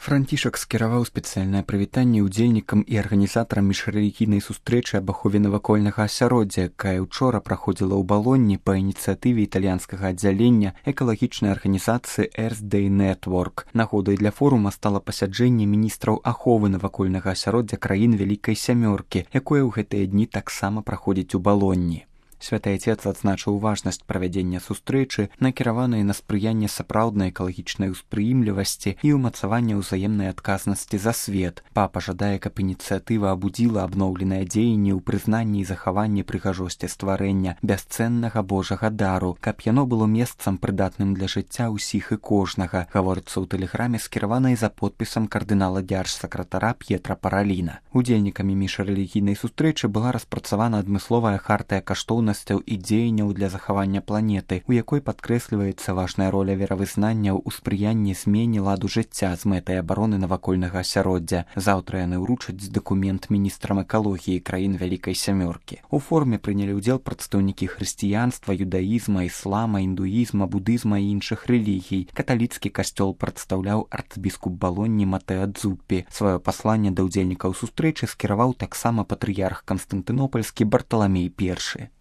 Францішак скіраваў спецыяльнае прывітанне ўдзельнікам і арганізатарам міжрэлігійнай сустрэчы аб ахове навакольнага асяроддзя, якая ўчора праходзіла ў Балонні па ініцыятыве італьянскага аддзялення экалагічнай арганізацыі Earth Day Network. Нагодай для форума стала пасяджэнне міністраў аховы навакольнага асяроддзя краін Вялікай Сямёркі, якое ў гэтыя дні таксама праходзіць у Балонні. Святы Отец адзначыў важнасць правядзення сустрэчы, накіраванай на спрыянне сапраўднай экалагічнай успрыімлівасці і ўмацавання ўзаемнай адказнасці за свет. Папа жадае, каб ініцыятыва абудзіла абноўленыя дзеянні ў прызнанні і захаванні прыгажосці стварэння бясцэннага Божага дару, каб яно было месцам прыдатным для жыцця ўсіх і кожнага, гаворыцца ў тэлеграме, скіраванай за подпісам кардынала дзяржсакратара П'етра Параліна. Удзельнікамі міжрэлігійнай сустрэчы была распрацавана адмысловая хартыя каштоўнасцяў і дзеянняў для захавання планеты, у якой падкрэсліваецца важная роля веравызнанняў у спрыянні змене ладу жыцця з мэтай абароны навакольнага асяроддзя. Заўтра яны ўручаць дакумент міністрам экалогіі краін Вялікай Сямёркі. У форуме прынялі ўдзел прадстаўнікі хрысціянства, юдаізма, іслама, індуізма, будызма і іншых рэлігій. Каталіцкі касцёл прадстаўляў арцбіскуп Балонні Матэа Дзуппі. Сваё пасланне да ўдзельнікаў сустрэчы скіраваў таксама патрыярх Канстантынопальскі Барталамей I.